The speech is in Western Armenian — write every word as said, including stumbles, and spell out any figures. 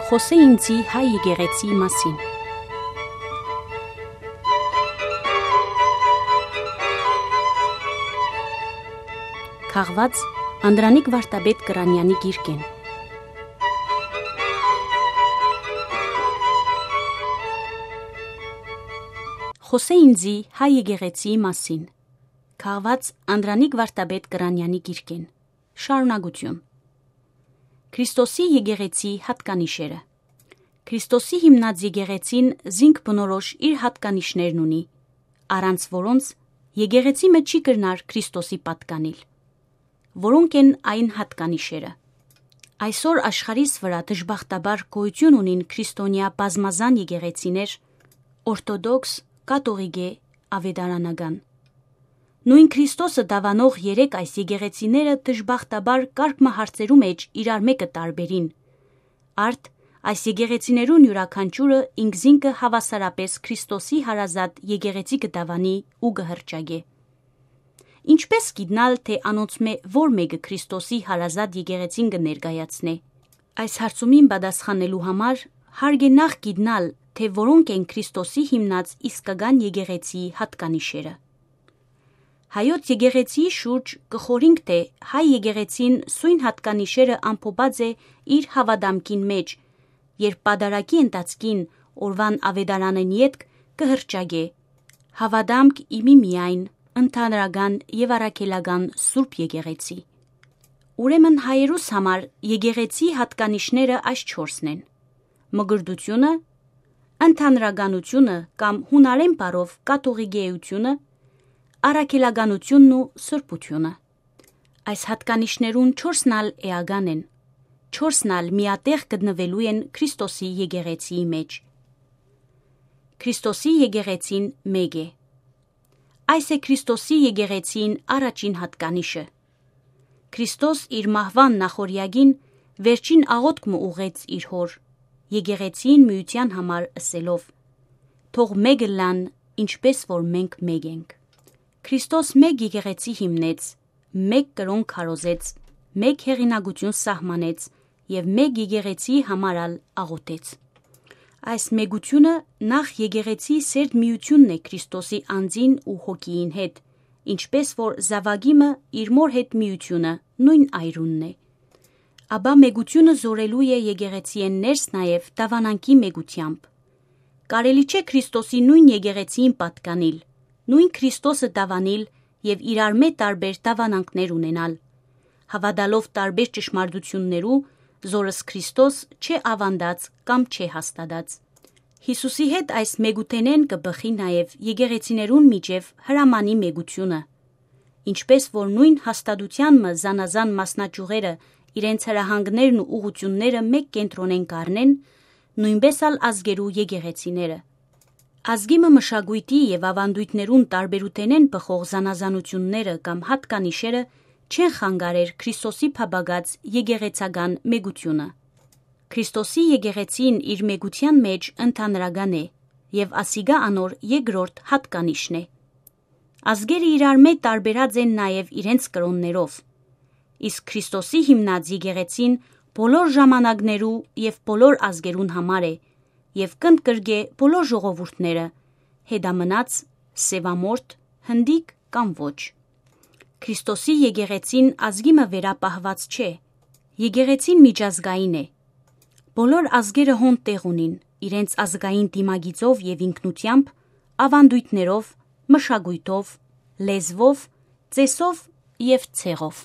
Խօսէ ինծի հայ եկեղեցիի մասին։ Քաղուած Անդրանիկ Վարդապետ Կրանեանի գիրքէն։ Խօսէ ինծի հայ եկեղեցիի մասին։ Քաղուած Անդրանիկ Վարդապետ Կրանեանի գիրքէն։ Շարունակութիւն։ Քրիստոսի եկեղեցի յատկանիշերը։ Քրիստոսի հիմնած եկեղեցին զինք բնորոշ իր յատկանիշներն ունի, առանց որոնց եկեղեցի մը չի կրնար Քրիստոսի պատկանիլ։ Որո՞նք են այն յատկանիշերը։ Այսօր աշխարհիս վրայ դժբախտաբար գոյութիւն ունին քրիստոնեայ բազմազան եկեղեցիներ՝ օրթոդոքս, կաթողիկէ, ավետարանական։ Նոյն Քրիստոսը դաւանող երեք այս եկեղեցիները դժբախտաբար կարգ մը հարցերու մէջ իրար մէկը տարբերին։ Արդ, այս եկեղեցիներուն իւրաքանչիւրը ինքզինքը հաւասարապէս Քրիստոսի հարազատ եկեղեցի կը դաւանի ու կը հռչակէ։ Ինչպէ՞ս գիտնալ, թէ անոնցմէ որ մէկը Քրիստոսի հարազատ եկեղեցին կը ներկայացնէ։ Այս հարցումին պատասխանելու համար հարկ է նախ գիտնալ, թէ որո՞նք են Քրիստոսի հիմնած իսկական եկեղեցիի յատկանիշերը։ Հայոց եկեղեցիի շուրջ կը խորհինք, թէ հայ եկեղեցին սոյն յատկանիշերը ամփոփած է իր հաւատամքին մէջ, երբ պատարագի ընթացքին օրուան աւետարանէն ետք կը հռչակէ. «Հաւատամք իմի միայն, ընդհանրական եւ առաքելական Սուրբ Եկեղեցի»։ Ուրեմն հայերուս համար եկեղեցի յատկանիշները այս չորսն են. մկրտութիւնը, ընդհանրականութիւնը կամ հունարէն բառով կաթողիկէութիւնը, առաքելականութիւնն ու սրբութիւնը։ Այս յատկանիշներուն չորսն ալ էական են, չորսն ալ միատեղ գտնուելու են Քրիստոսի եկեղեցիի մէջ։ Քրիստոսի եկեղեցին մէկ է։ Այս է Քրիստոսի եկեղեցին առաջին յատկանիշը։ Քրիստոս իր մահուան նախօրեակին վերջին աղօթք մը ուղղեց իր հօր, եկեղեցին միութեան համար ըսելով. «Թող մէկ ըլլան, ինչպէս որ մենք մէկ ենք»։ Քրիստոս մէկ եկեղեցի հիմնեց, մէկ կրօն քարոզեց, մէկ հեղինակութիւն սահմանեց եւ մէկ եկեղեցիի համար ալ աղօթեց։ Այս մէկութիւնը նախ եկեղեցիի սերտ միութիւնն է Քրիստոսի անձին ու հոգիին հետ, ինչպէս որ զաւակի մը իր մօր հետ միութիւնը նոյն այրունն է։ Ապա մէկութիւնը զօրելու է եկեղեցիէն ներս նաեւ դաւանանքի մէկութեամբ։ Կարելի չէ Քրիստոսի նոյն եկեղեցիին պատկանիլ, նոյն Քրիստոսը դաւանիլ եւ իրարմէ տարբեր դաւանանքներ ունենալ, հաւատալով տարբեր ճշմարտութիւններու, զորս Քրիստոս չէ աւանդած կամ չէ հաստատած։ Յիսուսի հետ այս մէկութենէն կը բխի նաեւ եկեղեցիներուն միջեւ հրամանի մէկութիւնը, ինչպէս որ նոյն հաստատութեան մը զանազան մասնաճիւղերը իրենց հրահանգներն ու ուղղութիւնները մէկ կենտրոնէն կ'առնեն, նոյնպէս ալ ազգերու եկեղեցիները։ Ազգի մը մշակոյթի եւ աւանդոյթներուն տարբերութենէն բխող զանազանութիւնները կամ յատկանիշերը չեն խանգարեր Քրիստոսի փափաքած եկեղեցական մէկութիւնը։ Քրիստոսի եկեղեցին իր մէկութեան մէջ ընդհանրական է եւ ասիկա անոր երկրորդ յատկանիշն է։ Ազգերը իրարմէ տարբերած են նաեւ իրենց կրօններով, իսկ Քրիստոսի հիմնած եկեղեցին բոլոր ժամանակներու եւ բոլոր ազգերուն համար է եւ կ'ընդգրկէ բոլոր ժողովուրդները, հետամնաց, սեւամորթ, հնդիկ կամ ոչ։ Քրիստոսի եկեղեցին ազգի մը վերապահուած չէ։ Եկեղեցին միջազգային է։ Բոլոր ազգերը հոն տեղ ունին, իրենց ազգային դիմագիծով եւ ինքնութեամբ, աւանդոյթներով, մշակոյթով, լեզուով, ծէսով եւ ցեղով։